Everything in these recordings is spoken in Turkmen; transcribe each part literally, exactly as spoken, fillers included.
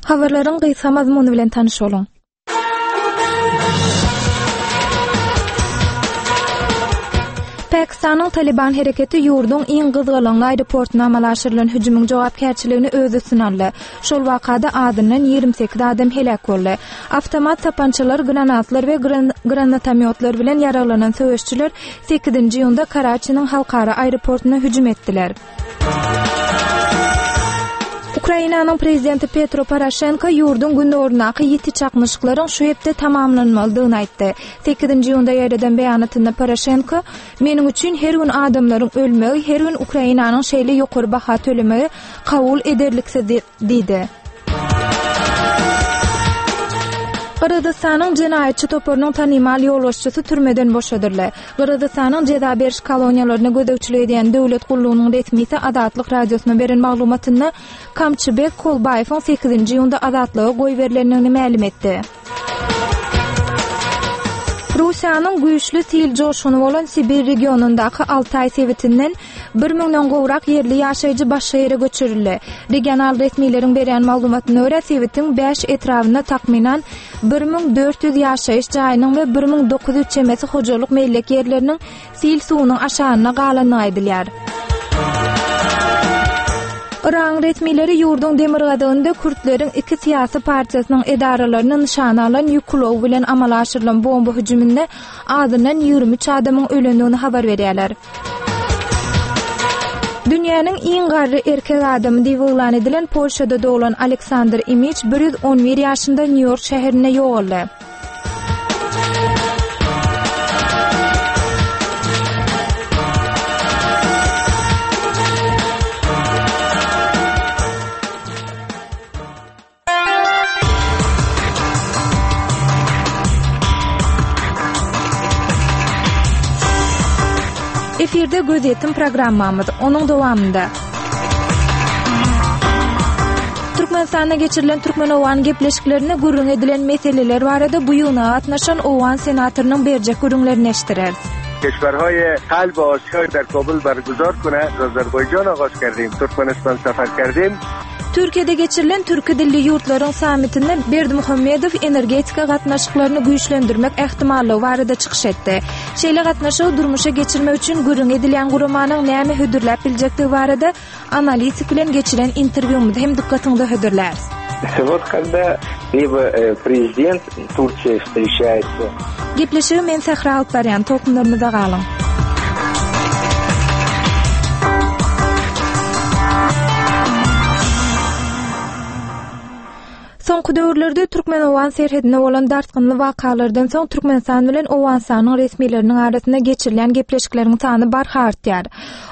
Habarlaryň gysga mazmuny bilen tanyş boluň. Pakistanyň Taliban hereketi ýurduň iň gyzgalaňly aeroportuna amala aşyrylan hüjümiň jogapkärçiligini öz üstüne aldy. Şol wakada azyndan ýigrimi sekiz adam heläk boldy. Awtomat sapançalar, granatlar we granatomýotlar bilen ýaraglanan söweşçiler sekizinji iýunda Karaçiniň halkara aeroportuna hüjüm etdiler. Ukrainanyň prezidenti Petro Poroşenko ýurduň gündogaryndaky ýiti çaknyşyklaryň şu hepde tamamlanmalydygyny aýtdy. Sekizinji iýunda ýaýradan beýanatynda Poroşenko, Meniň üçin her gün adamlaryň ölmegi, her gün Ukrainanyň şeýle ýokary baha tölemegi kabul ederliksiz diýdi. Gyrgyzystanyň jenaýatçy toparynyň tanymal ýolbaşçysy türmeden boşadyldy. Gyrgyzystanyň jeza beriş koloniýalaryna gözegçilik edýän döwlet gullugynyň resmisi Azatlyk Radiosyna beren maglumatynda Kamçybek Kolbaýewiň sekizinji iýunda azatlyga goýberilendigini mälim etdi. Russiýanyň güýçli sil joşguny bolan Sibir regionyndaky Altaý sebitinden bir müňden gowrak ýerli ýaşaýjy başga ýere göçürildi. Regional resmileriň berýän maglumatyna görä, sebitiň bäş etrabynda takmynan bir müň dört ýüz ýaşaýyş jaýynyň we bir müň dokuz ýüz çemesi hojalyk mellek ýerleriniň sil suwunyň aşagynda galandygy aýdylýar. Yragyň resmileri ýurduň demirgazygynda kürtleriň iki syýasy partiýasynyň edaralaryny nyşana alan ýük ulagy bilen amala aşyrylan bomba hüjüminde azyndan ýigrimi üç adamyň ölendigini habar berýärler. Dünýäniň iň garry erkek adamy diýip yglan edilen Polşada doglan Aleksandr Imiç bir ýüz on bir ýaşynda Nýu-Ýork şäherinde ýogaldy. Efirde gözýetim programmamyz, onuň dowamynda Türkmenistanda geçirilen türkmen-owgan gepleşiklerinde gürrüň edilen meseleler barada bu ýygnaga gatnaşan owgan senatorynyň berjek gürrüňlerini eşitdireris. Keşwerhaý Kalb Asiýa der Kabul berguzar kune, Azerbaýjan agaz kerdim, Türkmenistan safar kerdim. Türkiýede geçirilen türki dilli ýurtlaryň sammitinde Berdimuhamedow energetika gatnaşyklaryny güýçlendirmek ähtimallygy barada çykyş etdi. Şeýle gatnaşygy durmuşa geçirmek üçin gürrüň edilýän guramanyň näme hödürläp biljekdigi barada analitik bilen geçiren interwýumyzy hem dykgatyňyza hödürläris. Вот когда либо, э, президент Турции встречается. Gepleşigi men Sähra alyp barýan, tolkunlarymyzda galyň. Soňky döwürlerde türkmen-owgan serhedinde bolan dartgynly wakalardan soň Türkmenistan bilen Owganystanyň resmileriniň arasynda geçirilýän gepleşikleriň sany barha artýar.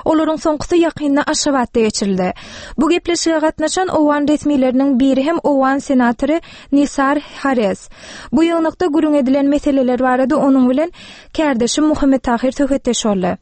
Olaryň soňkusy ýakynda Aşgabatda geçirildi. Bu gepleşige gatnaşan owgan resmileriniň biri hem owgan senatory Nisar Hares. Bu ýygnakda gürrüň edilen meseleler barada onuň bilen kärdeşim Muhammet Tahir söhbetdeş boldy.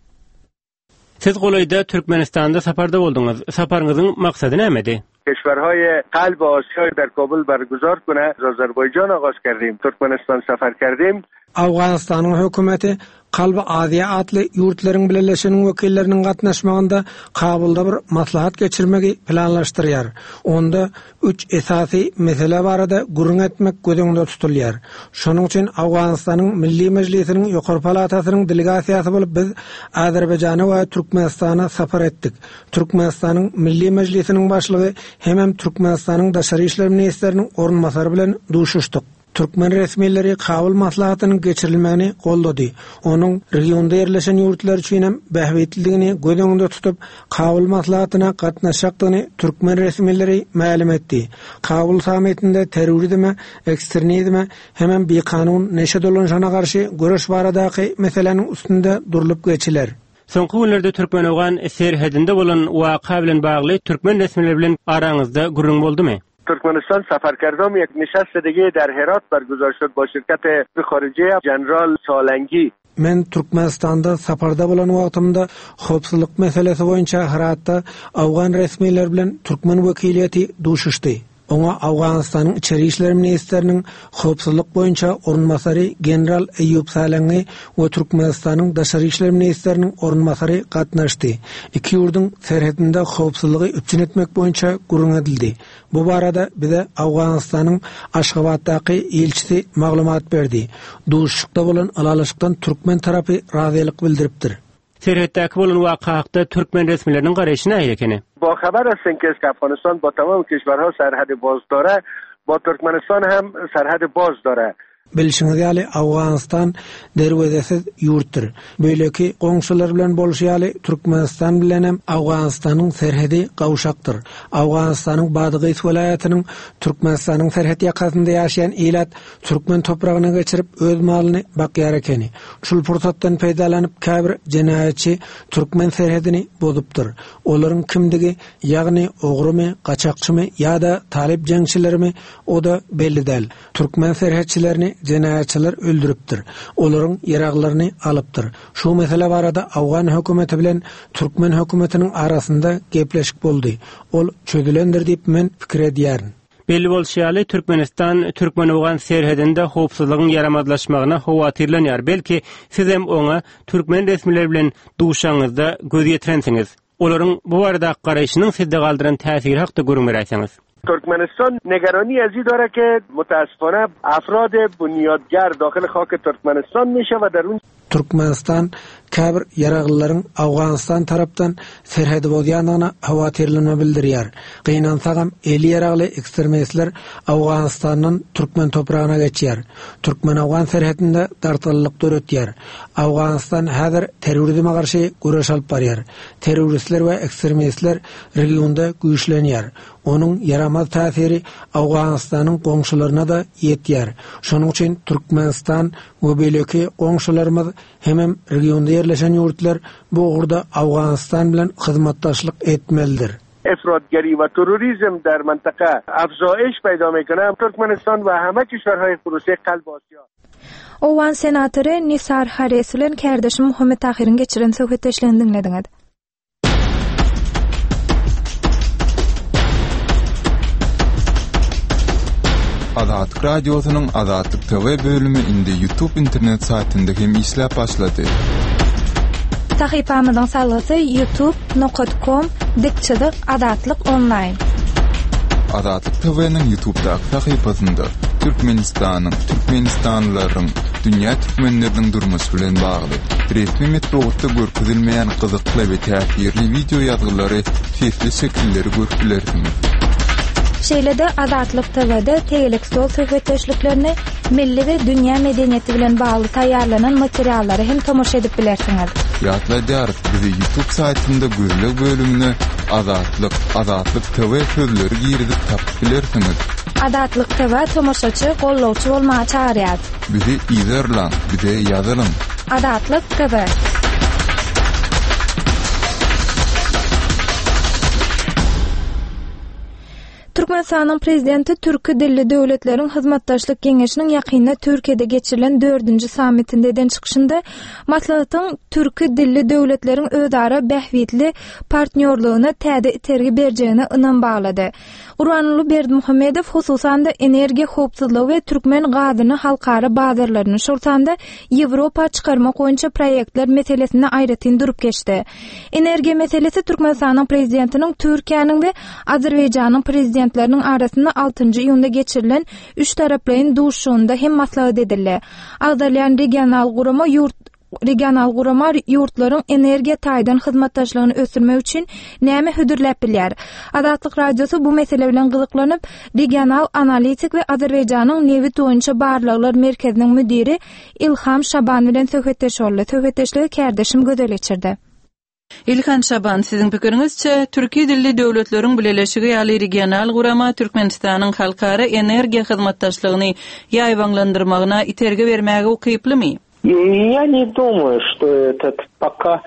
Siz golaýda Türkmenistanda saparda bolduňyz. Saparyňyzyň maksady nämedi? Keşwerhaý Kalb Asiýa der Kabul berguzar kune, Azerbaýjan agaz kerdim, Türkmenistan safar kerdim. Owganystanyň hökümeti Kalby Aziýa atly ýurtlaryň bileleşiginiň wekilleriniň gatnaşmagynda Kabulda bir maslahat geçirmegi planlaşdyrýar. Onda üç esasy mesele barada gürrüň etmek göz öňünde tutulýar. Şonuň üçin Owganystanyň Milli Mejlisiniň Ýokary Palatasynyň delegasiýasy bolup biz Azerbaýjana we Türkmenistana sapar etdik. Türkmenistanyň Milli Mejlisiniň başlygy hemem Türkmenistanyň Daşary işler ministriniň orunbasary bilen duşuşdyk. Türkmen resmileri Kabul maslahatynyň geçirilmegini goldady. Onuň regionda ýerleşen ýurtlar üçin hem bähbitlidigini göz öňünde tutup, Kabul maslahatyna gatnaşjakdygyny türkmen resmileri mälim etdi. Kabul sammitinde terrorizme, ekstremizme hemem bikanun neşe dolanşana garşy göreş baradaky meseläniň üstünde durlup geçiler. Soňky günlerde Türkmen-Owgan serhedinde bolan waka bilen bagly türkmen resmileri bilen araňyzda gürrüň boldumy? Türkmenistan safar kerdam یک نشست دیگه در هرات برگزار شد با شرکت خارجی جنرال سالنگی. Men Türkmenistanda saparda bolan wagtymda howpsuzlyk meselesi boýunça Heratda Awgan resmileri bilen türkmen wekiliýeti duşuşdy. Oňa Owganystanyň Içeri işler ministriniň howpsuzlyk boýunça orunbasary general Eýýup Salangi we Türkmenistanyň Daşary işler ministriniň orunbasary gatnaşdy. Iki ýurduň serhedinde howpsuzlygy üpjün etmek boýunça gürrüň edildi. Bu barada bize Owganystanyň Aşgabatdaky ilçisi maglumat berdi. Duşuşykda bolan ylalaşykdan türkmen tarapy razylyk bildiripdir. Serhetdäki bolan waka hakda türkmen resmileriniň garaýşy nähili ekeni? با خبر هستیم که افغانستان با تمام کشورها سرحد باز داره با ترکمنستان هم سرحد باز داره. Bilşiňiz ýaly Owganystan derwezesiz ýurtdur. Beýleki goňşular bilen bolşy ýaly Türkmenistan bilen hem Owganystanyň serhedi gawşakdyr. Owganystanyň Badgys welaýatynyň Türkmenistanyň serhet ýakasynda ýaşaýan ilat türkmen topragyna geçirip öz malyny bakýar ekeni. Şul pursatdan peýdalanyp käbir jenaýatçy türkmen serhedini bozupdyr. Olaryň kimdigi, ýagny ogrumy, gaçakçymy ýa-da talyp jeňçilerimi o-da belli däl. Türkmen serhetçilerini jenaýatçylar öldüripdir. Olaryň ýaraglaryny alypdyr. Şu mesele barada Awgan hökümeti bilen türkmen hökümetiniň arasynda gepleşik boldy. Ol çözülendir diýip men pikir edýärin. Belli bolşy ýaly Türkmenistan Türkmen-Owgan serhedinde howpsuzlygyň ýaramazlaşmagyna howatyrlanýar. Belki sizem oňa türkmen resmileri bilen duşaňyzda göz ýetirensiňiz. Olaryň bu barada garaýşynyň sizde galdyran täsiri hakda gürrüň beräýseňiz. ترکمنستان نگرانی از این داره که متاسفانه افراد بنیادگر داخل خاک ترکمنستان میشه و در اون Türkmenistan käbir ýaraglylaryň Owganystan tarapdan serhedi bozýandygyna howatyrlanma bildirýär. Gynansagam eli ýaragly ekstremistler Owganistandan türkmen topragyna geçýär. Türkmen-Owgan serhedinde dartgynlyk döretýär. Owganistan häzir terrorizme garşy göreş alyp barýar. Terroristler we ekstremistler regionda güýçlenýär. Onuň ýaramaz täsiri Owganystanyň goňşularyna da ýetýär. Şonuň üçin Türkmenistan we beýleki goňşularymyz hemem regionda ýerleşen ýurtlar bu ugurda Owganistan bilen hyzmatdaşlyk etmelidir. افراطگری و تروریسم در منطقه افزایش پیدا میکنه. ترکمنستان و همه کشورهای خروسه قلب آسیا. Owgan senatory Nisar Hares bilen kärdeşim Muhammet Tahyryň geçiren söhbetdeşligini diňlediňiz. Azatlyk Radiosynyň Azatlyk T V bölümi indi YouTube internet saýtynda hem işläp başlady. Sahypamyzyň salgysy youtube nokta com dik çyzyk Azatlyk online. Azatlyk T V'niň YouTube'daky sahypasynda Türkmenistanyň, Türkmenistanlylaryň, dünýä türkmenleriniň durmuşy bilen bagly resmi metbugatda görkezilmeýän gyzykly we täsirli wideo ýazgylary, sesli şekilleri görüp bilersiňiz. Şeýle-de Azatlyk T V'de tegelek stol söhbetdeşliklerini, milli we dünýä medeniýeti bilen bagly taýýarlanan materiallary hem tomaşa edip bilersiňiz. Ýatladýarys, bizi YouTube saýtynda gözleg bölümine Azatlyk, Azatlyk T V sözleri girizip tapyp bilersiňiz. Azatlyk T V tomaşaçy, gollawçy bolmaga çagyrýar. Bizi izerlaň, bize ýazylyň. Azatlyk T V. Türkmenistanyň prezidenti Türki dilli döwletleriň hyzmatdaşlyk geňeşiniň ýakynda Türkiýede geçirilen dördünji sammitinde eden çykyşynda maslahatyň Türki dilli döwletleriň özara bähbitli partnýorlygyna täze itergi berjegine ynam baglady. Gurbanguly Berdimuhamedow hususan-da energiýa howpsuzlygy we türkmen gazyny halkara bazarlaryny, şol sanda Ýewropa çykarmak boýunça proýektler meselesine aýratyn durup geçdi. Energiýa meselesi Türkmenistanyň prezidentiniň Türkiýäniň we Azerbaýjanyň prezidentleriniň arasynda altynjy iýunda geçirilen üç taraplaýyn duşuşygynda hem maslahat edildi. Agzalýan regional gurama ýurt regional gurama ýurtlaryň energiýa taýdan hyzmatdaşlygyny ösdürmek üçin näme hödürläp bilýär? Azatlyk Radiosy bu mesele bilen gyzyklanyp, regional analitik we Azerbaýjanyň nebit boýunça barlaglar merkeziniň müdiri Ilham Şaban bilen söhbetdeş boldy. Söhbetdeşligi kärdeşim Gözel geçirdi. Ilhan Şaban, siziň pikiriňizçe, Türki dilli döwletleriň bileleşigi ýaly regional gurama Türkmenistanyň halkara energiýa hyzmatdaşlygyny ýaýbaňlandyrmagyna itergi bermäge ukyplymy? Я не думаю, что этот пока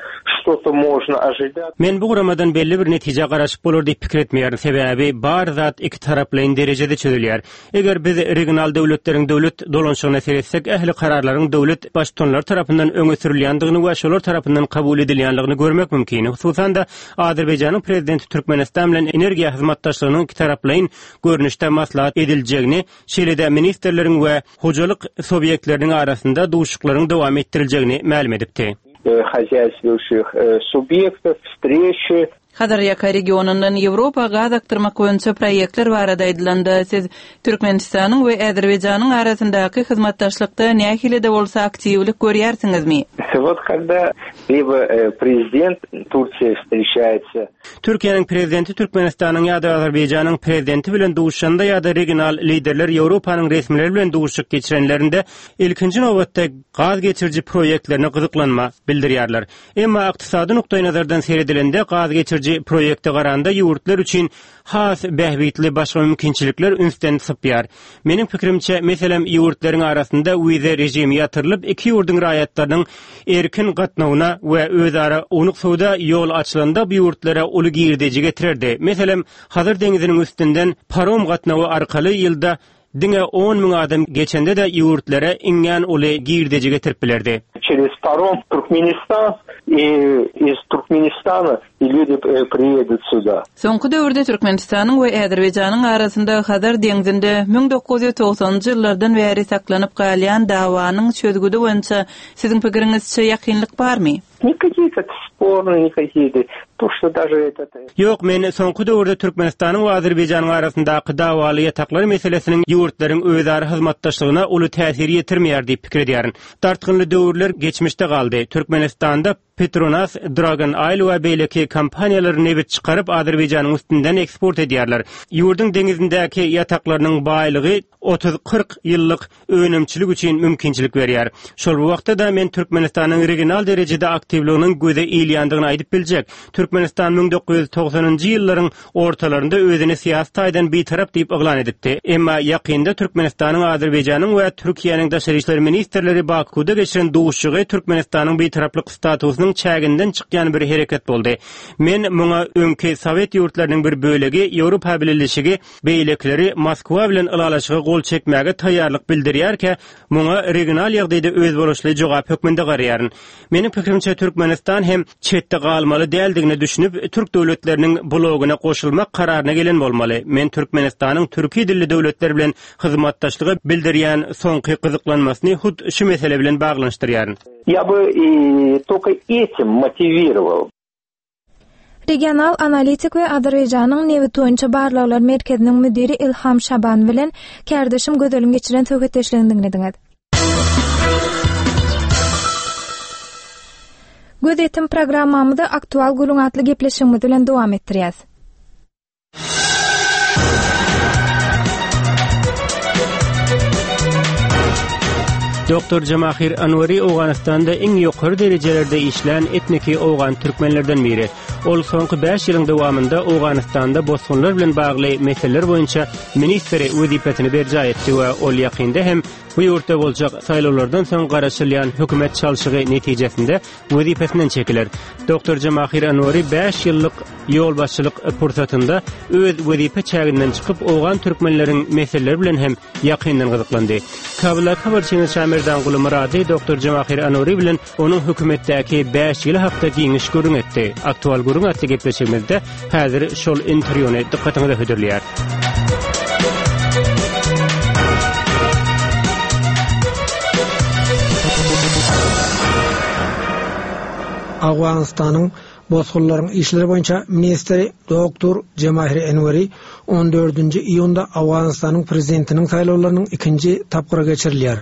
Что-то можно ожидать. Men bu guramadan belli bir netijä garaşyp bolar diýip pikir etmeýärin. Sebäbi bar zat iki taraplaýyn derejede çözülýär. Eger biz regional döwletleriň döwlet dolanşygyna seretsek, ähli kararlaryň döwlet baştutanlary tarapyndan öňe sürülýändigini we şolar tarapyndan kabul edilýändigini görmek mümkin. Hususan-da Azerbaýjanyň prezidenti Türkmenistan bilen energiýa hyzmatdaşlygynyň iki taraplaýyn görnüşde maslahat ediljegini, şeýle-de ministrleriň we hojalyk subýektleriniň arasynda duşuşyklaryň dowam etdiriljegini mälim edipdi. Хозяйствующих субъектов, встречи. Hazarýaka regionyndan Ýewropa gaz akdyrmak boýunça proýektler barada aýdylanda, siz Türkmenistanyň we Azerbaýjanyň arasyndaky hyzmatdaşlykda nähili-de bolsa aktiwlik görýärsiňizmi? Вот когда либо президент Турции встречается. Türkiýäniň prezidenti Türkmenistanyň ýa-da Azerbaýjanyň prezidenti bilen duşuşanda ýa-da regional liderler Ýewropanyň resmileri bilen duşuşyk geçirenlerinde ilkinji nobatda gaz geçiriji proýektlerine gyzyklanma bildirýärler. Emma ykdysady nukdaýnazardan seredilende gaz geçiriji proýekte garanda ýurtlar üçin has bähbitli başga mümkinçilikler ünsden sypýar. Meniň pikirimçe, meselem, ýurtlaryň arasynda wiza rejimi ýatyrylyp, iki ýurduň raýatlarynyň erkin gatnawyna we özara ownuk söwda ýol açylanda bu ýurtlara uly girdeji getirerdi. Meselem, Hazar deňiziniň üstünden parom gatnawy arkaly ýylda diňe on müň adam geçende-de ýurtlara iňňän uly girdeji getirip bilerdi. Через паром в Туркменистан и из Туркменистана и люди приедут сюда. Soňky döwürde Türkmenistanyň we Azerbaýjanyň arasynda Hazar deňzinde müň dokuz ýüz togsanynjy ýyllardan bäri saklanyp galýan dawanyň çözgüdi boýunça siziň pikiriňizçe ýakynlyk barmy? Никакие-то спорные, никакие-то, то, что даже этот... Ýok, men soňky döwürde Türkmenistanyň we Azerbaýjanyň arasyndaky dawaly ýataklar meselesiniň ýurtlaryň özara hyzmatdaşlygyna uly täsir ýetirmeýär diýip pikir edýärin. Dartgynly döwürler geçmişde galdy. Türkmenistanda Petronas, Dragon Oil we beýleki kompaniýalar nebit çykaryp Azerbaýjanyň üstünden eksport edýärler. Ýurduň deňizindäki ýataklarynyň baýlygy otuz kyrk ýyllyk önümçilik üçin mümkinçilik berýär. Şol bir wagtda da men Türkmenistanyň regional derejede aktiwliginiň göze ilýändigini aýdyp biljek. Türkmenistan müň dokuz ýüz togsanynjy ýyllaryň ortalarynda özüni syýasy taýdan bitarap diýip yglan edipdi. Emma ýakynda Türkmenistanyň, Azerbaýjanyň we Türkiýäniň daşary işler ministrleri Bakuda geçiren duşuşygy Türkmenistanyň bitaraplyk statusynyň çäginden çykýan bir hereket boldy. Men muňa öňki Sowet ýurtlarynyň bir bölegi Ýewropa Bileleşigi beýlekileri Moskwa bilen ylalaşyga gol çekmäge taýýarlyk bildirýärkä, muňa regional ýagdaýda özboluşly jogap hökmünde garaýaryn. Meniň pikirimçe Türkmenistan hem çetde galmaly däldigine düşünip, Türk döwletleriniň blogyna goşulmak kararyna gelen bolmaly. Men Türkmenistanyň türki dilli döwletler bilen hyzmatdaşlygy bildirýän soňky gyzyklanmasyny hut şu mesele bilen baglanyşdyrýaryn. Я бы и только этим мотивировал. Regional analitik we Azerbaýjanyň nebit boýunça barlaglar merkeziniň müdiri Ilham Şaban bilen kärdeşim Gözeliň geçiren söhbetdeşligini diňlediňiz. Gözetim programmamyzy aktual gürrüň atly gepleşigimiz bilen dowam etdirýäs. Doktor Jamahir Anwari Owganystanda iň ýokary derejelerde işlän etniki Owgan türkmenlerden biri. Ol soňky bäş ýylyň dowamynda Owganystanda bosgunlar bilen bagly meseleler boýunça ministri wezipesini berjaý etdi we ol ýakynda hem bu ýurtda boljak saýlawlardan soň garaşylýan hökümet çalşygy netijesinde wezipesinden çekiler. Doktor Jamahir Anwari bäş ýyllyk ýolbaşçylyk pursatynda öz wezipe çäginden çykyp Owgan türkmenleriň meseleleri bilen hem ýakyndan gyzyklandy. Kabulda habarçymyz Şamerdan Gulmurady Doktor Jamahir Anwari bilen onuň hökümetdäki bäş ýyly hakda giňiş gürrüň etdi. Aktual gürrüň atly gepleşigimizde häzir şol interwýuny dykgatyňyza hödürleýär. Owganystanyň bosgunlaryň işleri boýunça ministri Doktor Jamahir Enweri on dördünji iýunda Owganystanyň prezidentiniň saýlawlarynyň ikinji tapgyry geçirilýär.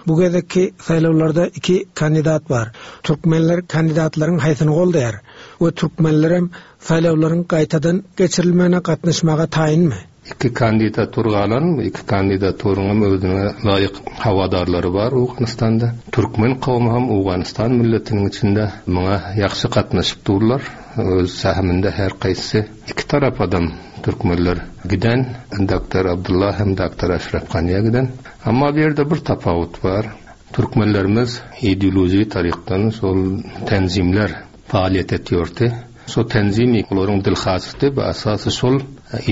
Bu gezekki saýlawlarda iki kandidat bar. Türkmenler kandidatlaryň haýsyny goldaýar we türkmenler hem saýlawlaryň gaýtadan geçirilmegine gatnaşmaga taýynmy? Iki kandidatur galan, iki kandidaturyň hem özüne laýyk hawadarlary bar Owganystanda. Türkmen kowmy hem Owganystan milletiniň içinde muňa ýagşy gatnaşyp durlar. Öz sahymynda her gaýsy iki tarap adam türkmenler giden, Doktor Abdullah hem Doktor Aşraf Ganiýa giden. Amma bu ýerde bir tapawut bar. Türkmenlerimiz ideoloji tarykdan şol tenzimler, faaliyet etýärdi. Şo tenzimi olaryň dilhaçdy we esasy şol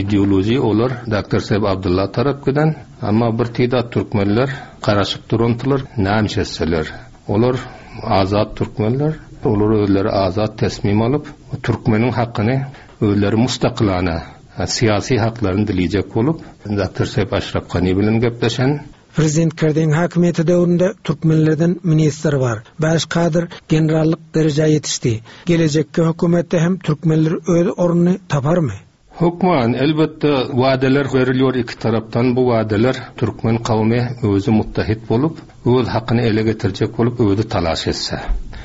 ideoloji olar Doktor Sahib Abdullah tarap giden, amma bir tidat türkmenler garaşyp durandylar, näme etseler. Olar azat türkmenler, olar özleri azat teslim alyp, türkmeniň hakyny özleri mustakilana siyasi haklaryny dileyecek bolup, Doktor Sahib Aşraf Gani bilen gepleşen. Prezident Kerdiň hakimiýeti döwründe türkmenlerden ministr bar. Bäş kadr generallyk derejä ýetişdi. Gelejekki hökümetde hem türkmenler öz ornuny taparmy? Hukman elbetde vadeler veriliyor iki taraptan. Bu vadeler türkmen kavmi özü muttahit bolup, öz hakyny ele getirecek bolup özü talaş etse.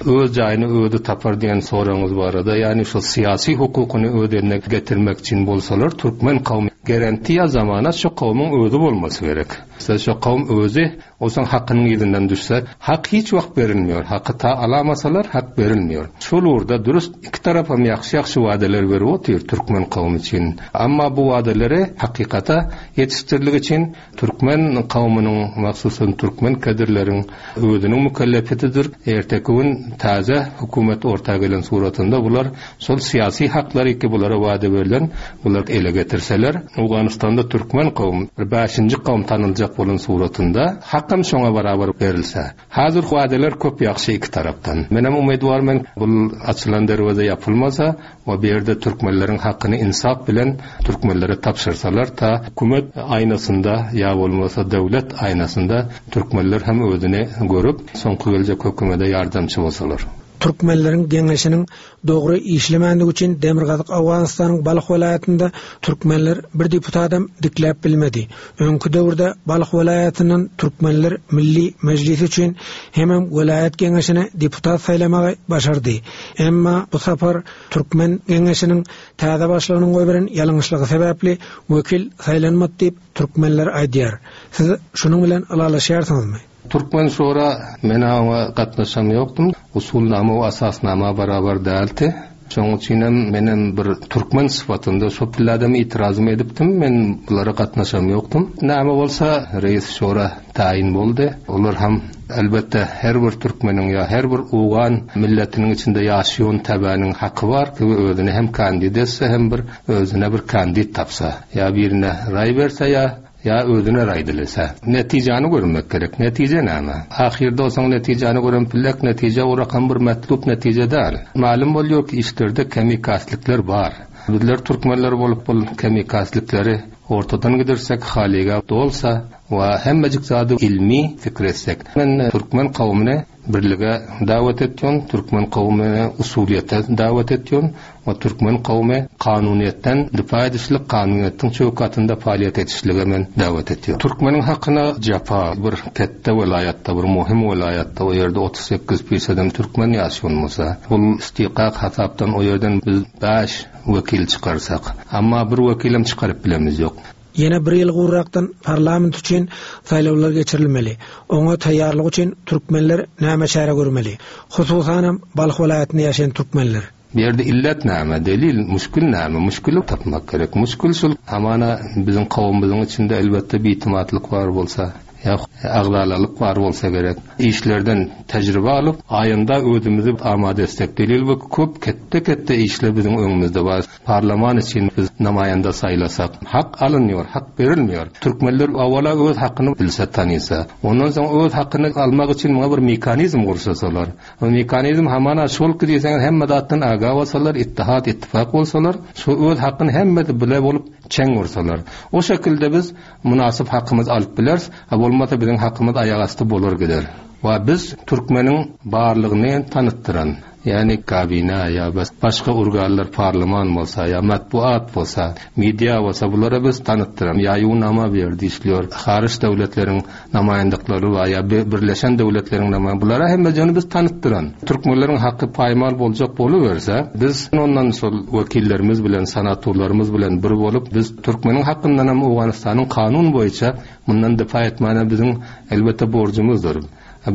Öz jaýyny özü tapar diýen soraňyz barada, ýani şu siyasi hukukyny öz eline getirmek üçin bolsalar türkmen kavmi garantiya zamana şu kavmyň özü bolmasy gerek. Şu şu kavm özü olsan hakynyň ýerinden düşse, hak hiç wagt berilmiyor. Haky ta alamasalar hak berilmiyor. Şol orada dürüst iki tarapa ýagşy-ýagşy vadeler berip otyr türkmen kavmy üçin. Amma bu vadeleri hakykata ýetiştirlik üçin türkmen kavmynyň, mahsusan türkmen kadirleriň özüniň mükellefetidir. Erteki gün täze hükümet orta gelen suratynda bular şol siyasi haklary ki bulara vade berlen, bular ele getirseler, Owganystanda türkmen kavm bir bäşinji kavm tanyljak bolan suratynda hakam şoňa barabar berilse. Hazır vadeler köp ýagşy iki tarapdan. Menem umyt bar men bul açylan derweze yapılmasa we bu ýerde türkmenleriň hakyny insap bilen türkmenlere tapşyrsalar ta hükümet aýnasynda ýa bolmasa döwlet aýnasynda türkmenler hem özüni görüp soňky geljek hükümete ýardamçy bolsalar. Türkmenleriň geňeşiniň dogry işlemänligi üçin Demirgazyk Owganystanyň Balh welaýatynda türkmenler bir deputadam dikläp bilmedi. Öňki döwürde Balh welaýatyndan türkmenler Milli Mejlisi üçin hemem welaýat geňeşine deputat saýlamagy başardy. Emma bu sapar türkmen geňeşiniň täze başlygynyň goýberen ýalňyşlygy sebäpli wekil saýlanmady diýip türkmenler aýdýar. Siz şunuň bilen ylalaşýarsyňyzmy? Türkmen şora men oňa gatnaşam ýokdum. Usulnama we asasnama barabar däldi. Şonuň üçin hem menem bir türkmen syfatynda şo pilladam itirazym edipdim. Men bulara gatnaşam ýokdum. Näme bolsa reis şora tayin boldy. Olar hem elbetde her bir türkmeniň ýa her bir owgan milletiniň içinde ýaşaýan tabanyň haky bar ki özüne hem kandid etse hem bir özüne bir kandid tapsa. Ýa birine raý berse ýa ýa özüne raý dilese. Netijäni görmek gerek. Netije näme? Ahirde olsaň netijäni gören pillek netije o rakam bir matlup netije däl. Malum bolýar ki işlerde kemikaslikler bar. Bizler türkmenler bolup bul kemikaslikleri ortadan gidersek haliga dolsa we hemmejik zady ilmi fikr etsek. Men türkmen kavmine birlige davet etýän, türkmen kavmine usuliyete davet etýän we türkmen kavmi kanuniyetten difa edişlik, kanuniyetin çökatynda faaliyet etişlige men davet etýän. Türkmeniň hakyna japa bir ketde welaýatda, bir muhim welaýatda o ýerde otuz sekiz fiýsadan türkmen ýaşaýan bolsa, bul istiqaq hasapdan o ýerden biz bäş wekil çykarsak, amma bir wekilem çykaryp bilemiz ýok. Ýene bir ýyl gurrakdan parlament üçin saýlawlar geçirilmeli. Oňa taýýarlyk üçin türkmenler näme çäre görmeli? Hususanam Balh welaýatynda ýaşaýan türkmenler. Bir ýerde illet näme, delil, müşkül näme, müşküli tapmak gerek. Müşkül şul, hamana biziň kowumymyzyň içinde elbetde bitimatlyk bar bolsa, ýa agzalalyk bar bolsa gerek. Işlerden tejribe alyp, aýynda özümizi amade etsek. Delil bu köp ketde-ketde işler biziň öňümizde bar. Parlament üçin biz namaýanda saýlasak, hak alynýar, hak berilmiyor. Türkmenler awala öz hakyny bilse tanysa, ondan soň öz hakyny almak üçin muňa bir mekanizm gursasalar. O mekanizm hamana şol ki diýseň hemme zatdan aga bolsalar, ittihat, ittifak bolsalar, şu öz hakyny hemmesi bile bolup çeň ursalar. O şekilde biz münasip hakymyzy alyp bileris, ha bolmasa biziň hakymyz aýak asty bolar gider. We biz türkmeniň barlygyny tanytdyran, ýani kabina ýa bas başga organlar parlament bolsa ýa matbuat bolsa, media bolsa bulara biz tanytdyran. Ýa ýunama berdi işliyor. Hariç döwletleriň namaýandyklary we ýa birleşen döwletleriň namaýan bulara hemme jany biz tanytdyran. Türkmenleriň haky paýmal boljak boluberse, biz ondan şol wekillerimiz bilen, senatorlarymyz bilen bir bolup biz türkmeniň hakyndan hem Owganystanyň kanun boýunça mundan difa etmäne biziň elbetde borjumyzdyr.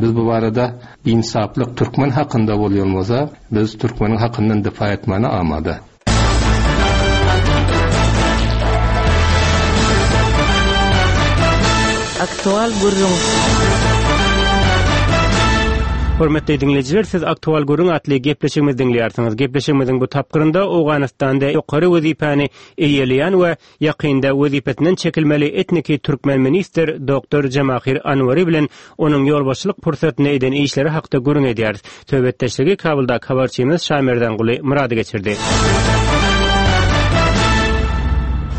Biz bu barada insaplyk türkmen hakynda bolýan bolsa, biz türkmeniň hakyndan difa etmäne amada. Aktual gürrüň. Hormatly diňleýjiler, siz Aktual Gürrüň atly gepleşigimizi diňleýärsiňiz. Gepleşigimiziň bu tapgyrynda Owganystanda ýokary wezipäni eýeleýän we ýakynda wezipesinden çekilmeli etniki türkmen ministr Doktor Jamahir Anwari bilen onuň ýolbaşçylyk pursatynda eden işleri hakda gürrüň edýäris. Söhbetdeşligi Kabuldaky habarçymyz Şamerdanguly Murady geçirdi.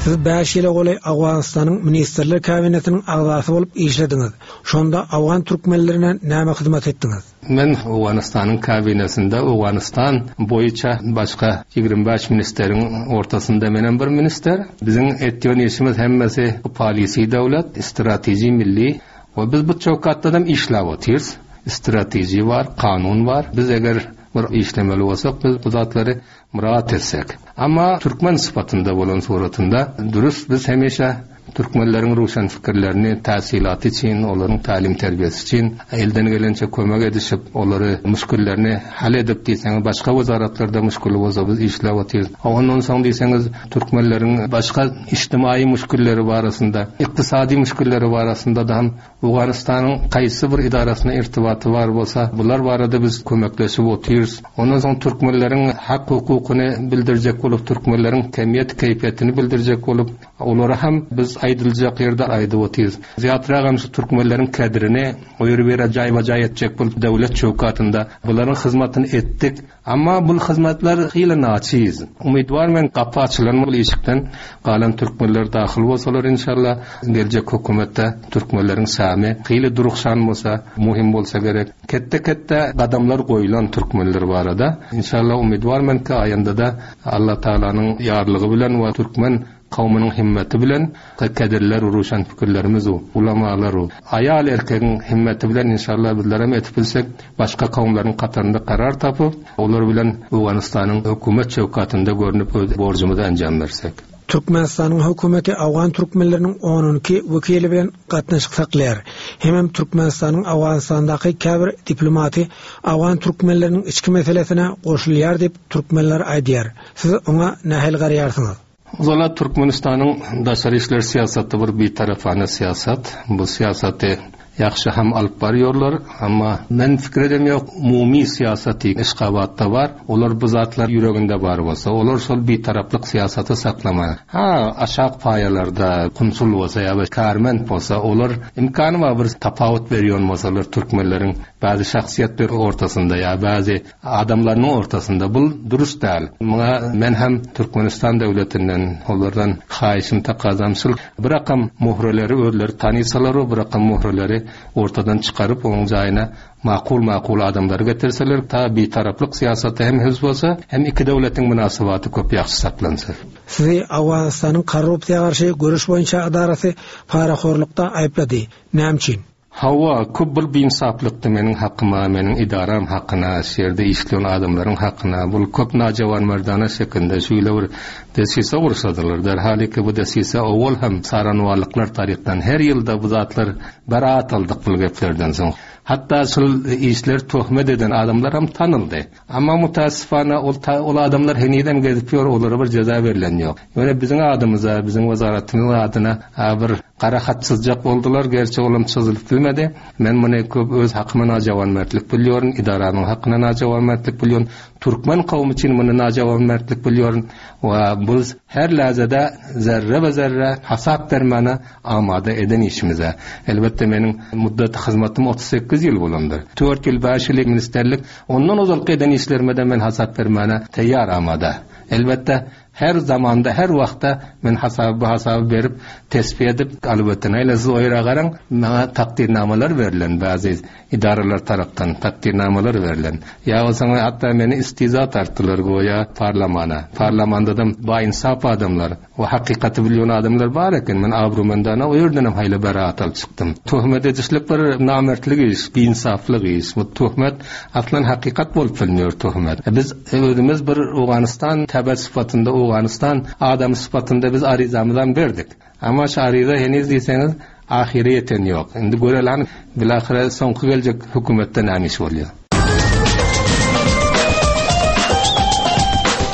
Siz bäş ýyla golaý Owganystanyň Ministrler Kabinetiniň agzasy bolup işlediňiz. Şonda owgan türkmenlerine näme hyzmat etdiňiz? Men Owganystanyň kabinesinde Owganystan boýunça başga ýigrimi bäş ministeriň ortasynda menem bir minister. Biziň etýän işimiz hemmesi polisi döwlet, strateji milli we biz bu çökatda işläp otyrys. Strateji bar, kanun bar. Biz eger bir işlemeli bolsak, biz bu zatlary murat etsek. Ama türkmen sıfatında bolan suratında dürüst biz hemişe türkmenlerin ruşan fikirlerini tasilatı için, onların talim terbiyesi için elden gelince kömek edişip, onları müşkillerini hal edip diýseňiz, başga wezaratlarda müşkili bolsa biz işläp otyrys. Ondan soň diýseňiz, türkmenlerin başga ijtimai müşkilleri barasynda, ykdysady müşkilleri barasynda da hem Owganystanyň haýsy bir idarasyna irtibaty bar bolsa, bular barada biz kömekleşip otyrys. Ondan soň türkmenlerin hak hukukyny bildirjek bolup, türkmenlerin kemiyet keyfiyetini bildirjek bolup, olara hem biz aýdyljak ýerde aýdyp otyrys. Zyýatrak hem şu türkmenlerin kadrini o ýeri bir jaýba-jaý etjek bolup döwlet çökatynda bularyň hyzmatyny etdik. Amma bu hyzmatlar hile naçiz. Umyt var men gapy açylan bul işikden galan türkmenler dahyl bolsalar inşallah geljek hökümetde türkmenlerin samy hile durukşan bolsa, muhim bolsa gerek. Ketde-ketde gadamlar goýulan türkmenler barada. Inşallah umyt var men ki aýanda da Allah Taalanyň ýarlygy bilen we türkmen kavminin himmeti bilen kaderler uruşan fikirlerimiz o, ulamalar o. Ayal erkeğin himmeti bilen inşallah bizlere mi etip bilsek başka kavimlerin katarında karar tapıp olar bilen Owganistan'ın hükümet çevkatında görünüp öz borcumuzu encam versek. Türkmenistanyň hökümeti Awgan türkmenleriniň on iki wekili bilen gatnaşyk saklaýar. Hemem Türkmenistanyň Awganistandaky käbir diplomaty Awgan türkmenleriniň içki meselesine goşulýar diýip türkmenler aýdýar. Siz oňa nähili garaýarsyňyz? Zala Türkmenistanyň daşary işler siýasaty bir bitarafane siýasat. Bu siýasaty ýagşy hem alyp barýarlar, amma men fikir edem ýok, umumy siýasaty Aşgabatda bar. Olar bu zatlar ýüreginde bar bolsa, olar şol bitaraplyk siýasaty saklama. Ha, aşak paýalarda konsul bolsa ýa karment bolsa, olar imkany bar bir tapawut berýän bolsalar türkmenleriň bäzi şahsyýetler ortasynda ýa bäzi adamlaryň ortasynda bul dürüst däl. Muňa men hem Türkmenistan döwletinden olardan haýyşym takazam şul bir rakam muhreleri özleri tanysalar, bir rakam muhreleri ortadan çıkarıp onun jaýyna makul makul adamlary getirseler, ta bitaraplyk siýasaty hem hüz bolsa, hem iki döwletiň münasebeti köp ýagşy saklansa. Sizi Awganystanyň korrupsiýa garşy görüş boýunça edarasy parahorlukda aýyplady. Näme üçin? Hawa, köp bir biinsaplykdy meniň hakyma, meniň idaram hakyna, şu ýerde işleýän adamlaryň hakyna. Bul köp najawan merdana şekilde şeýle bir desise gursadylar. Derhal ki bu desise owal hem saranwalyklar tarykdan her ýylda bu zatlar beraat aldyk bul geplerden soň. Hatta şul işler töhmet eden adamlar hem tanıldy. Amma mutassifana ol ta-, ol adamlar heniden gezip ýör, olara bir ceza verilen ýok. Ýöne biziň adymyza, biziň wezaratymyzyň adyna, a, bir gara hat çyzjak boldular, gerçi olam çyzylyp bilmedi. Men muny köp öz hakyma najawanmertlik bilýärdim, idaranyň hakyna najawanmertlik bilýärdim, türkmen kowmy üçin muny najawanmertlik bilýärdim. We biz her lazada zerre we zerre hasap bermäne amada eden işimize. Elbetde meniň muddat hyzmatym otuz sekiz ýyl bolandyr. Dört ýyl, bäş ýyl ministerlik, ondan ozalky eden işlerime men hasap bermäne taýýar amada. Elbetde her zamanda, her wagtda men hasaby hasaby berip, tesbih edip, elbetde näle siz oýra garaň, maňa takdirnamalar berlen bäzi idaralar tarapdan takdirnamalar berlen. Ýa bolsa hatda meni istiza tartdylar goýa parlamana. Parlamanda da ba insaf adamlar, o hakykaty bilýän adamlar bar eken. Men abrumendana o ýerden hem haýly beraat alyp çykdym. Töhmet edişlik bir namertlik iş, biinsaflyk iş. Bu töhmet aslan hakykat bolup bilmiyor töhmet. E, biz özümiz bir Owganystan təbət sıfatında, Owganystan adam sıfatında biz arizamızdan berdik. Amma şu ariza henüz diýseňiz ahire ýeten ýok. Indi görelan bilahire soňky geljek hökümetden näme iş bolýar.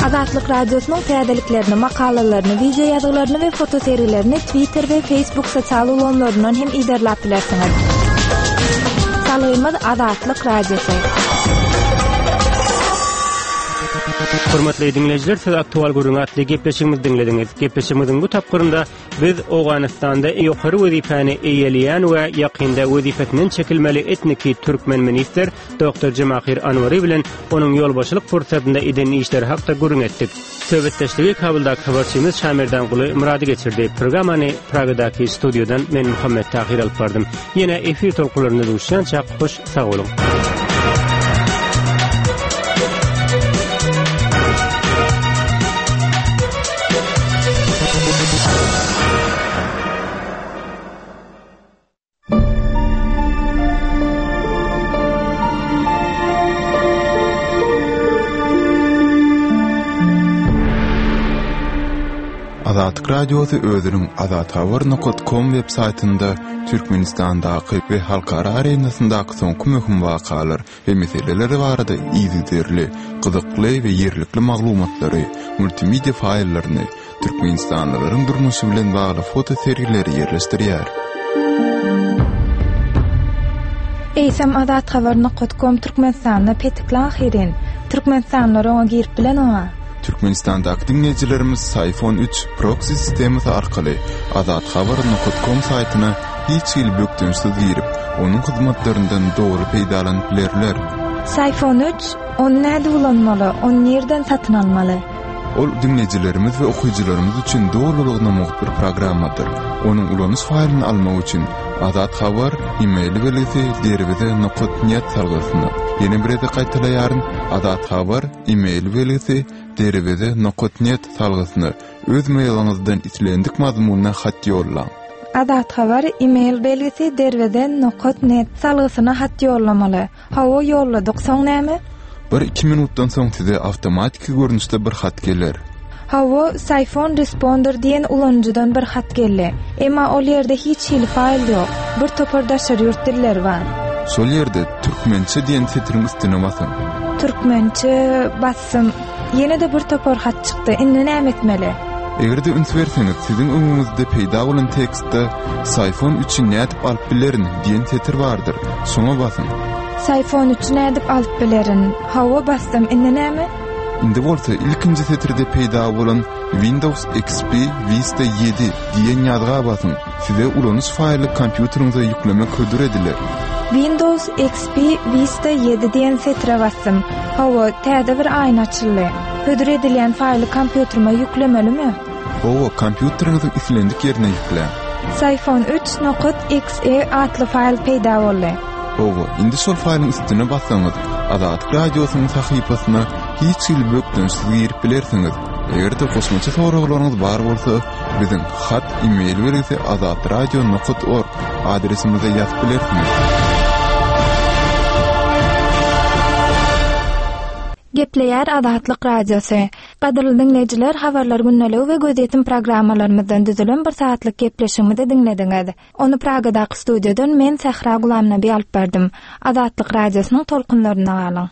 Azatlyk Radiosynyň täzeliklerini, makalalaryny, video ýazgylaryny we fotosergilerini Twitter we Facebook sosial ulgamlaryndan hem iderläp bilersiňiz. Salgymyz Azatlyk Radiosy. Hormatly dinleýjiler, siz aktual gürrüň atly gepleşigimizi diňlediňiz. Gepleşigimiziň bu tapgyrynda biz Owganystanda ýokary wezipäni eýeleýän we ýakynda wezipesinden çekilmeli etniki türkmen ministr Doktor Jemahyr Anwary bilen onuň ýolbaşçylyk pursatynda eden işleri hakda gürrüň etdik. Söhbetdeşligi Kabuldaky habarçymyz Şamerdan Guly Murady geçirdi. Programmany Pragadaky studiýadan men Muhammet Tahir alyp bardym. Ýene efir tolkunlarynda duşýança hoş sag boluň. Azatlyk Radiosy özüniň azathabar nokta com web saýtynda Türkmenistandaky we halkara arenasyndaky soňky möhüm wakalar we meseleler barada yzygiderli, gyzykly we ýerlikli maglumatlary, multimedia faýllaryny, Türkmenistanlylaryň durmuşy bilen bagly foto sergileri ýerleşdirýär. Eýsem azathabar nokta com Türkmenistanda petikli ahyrin. Türkmenistanlylar oňa girip bilen oňa. Türkmenistandaky dinleýjilerimiz Sayfon üç proxy sistemasy arkaly azathabar nokta com saýtyna hiç hili bökdençsiz girip, onuň hyzmatlaryndan dogry peýdalanyp bilerler. Sayfon üç, ony näde ulanmaly, ony nirden satyn almaly? Ol dinleýjilerimiz we okyjylarymyz üçin dolulygyna mugt bir programmadyr. Onuň ulanyş faýlyny almak üçin Azat Habar e-mail belgisi derweze nokta net salgysyna. Ýene bir gezek gaýtalaýaryn, Azat Habar e-mail belgisi derweze nokta net salgysyna öz mailiňizden islendik mazmunda hat ýollaň. Azat Habar e-mail belgisi derweze nokta net salgysyna hat ýollamaly. Hawa ýolladyk, soň näme? Bir iki minutdan soň size awtomatiki görnüşde bir hat geler. Hawa, Sayfon Responder diýen ulanyjydan bir hat geldi. Emma ol ýerde hiç hili faýl ýok. Bir topar daşary ýurt dilleri bar. Şol ýerde türkmençe diýen setiriň üstüne basyň. Türkmençe bassym. Ýene de bir topar hat çykdy. Indi näme etmeli? Eger-de üns berseňiz, siziň öňüňizde peýda bolan tekstde Sayfon üçi nädip alyp bilerin diýen setir bardyr. Şoňa basyň. Sayfon üçi nädip alyp bilerin? Hawa bassym. Indi näme? Indi bolsa ilkinji setirde peýda bolan Windows X P Vista ýedi diýen ýazga basyň. Size ulanyş faýly kompýuteriňize ýüklemek hödür ediler. Windows X P Vista ýedi diýen setire bassym. Hawa, täze bir aýna açyldy. Hödür edilýän faýly kompýuterime ýüklemelimi? Hawa, kompýuteriňiziň islendik ýerine ýükläň. Sayfon üç nokta X E atly faýl peýda boldy. Hawa, indi şol faýlyň üstüne bassaňyz, Azatlyk Radiosynyň sahypasyna hiç hili bökdençsiz girip bilersiňiz. Eger-de goşmaça soraglaryňyz bar bolsa, biziň hat e-mail belgisi azatradio nokta org adresimize ýazyp bilersiňiz. Gepleýär Azatlyk Radiosy. Gadyrly dinleýjiler, habarlar gündeligi we gözýetim programmalarymyzdan düzülen bir saatlyk gepleşigimizi diňlediňiz. Ony Pragadaky studiýadan men Sähra Gulamnabi alyp bardym. Azatlyk Radiosynyň tolkunlarynda galyň.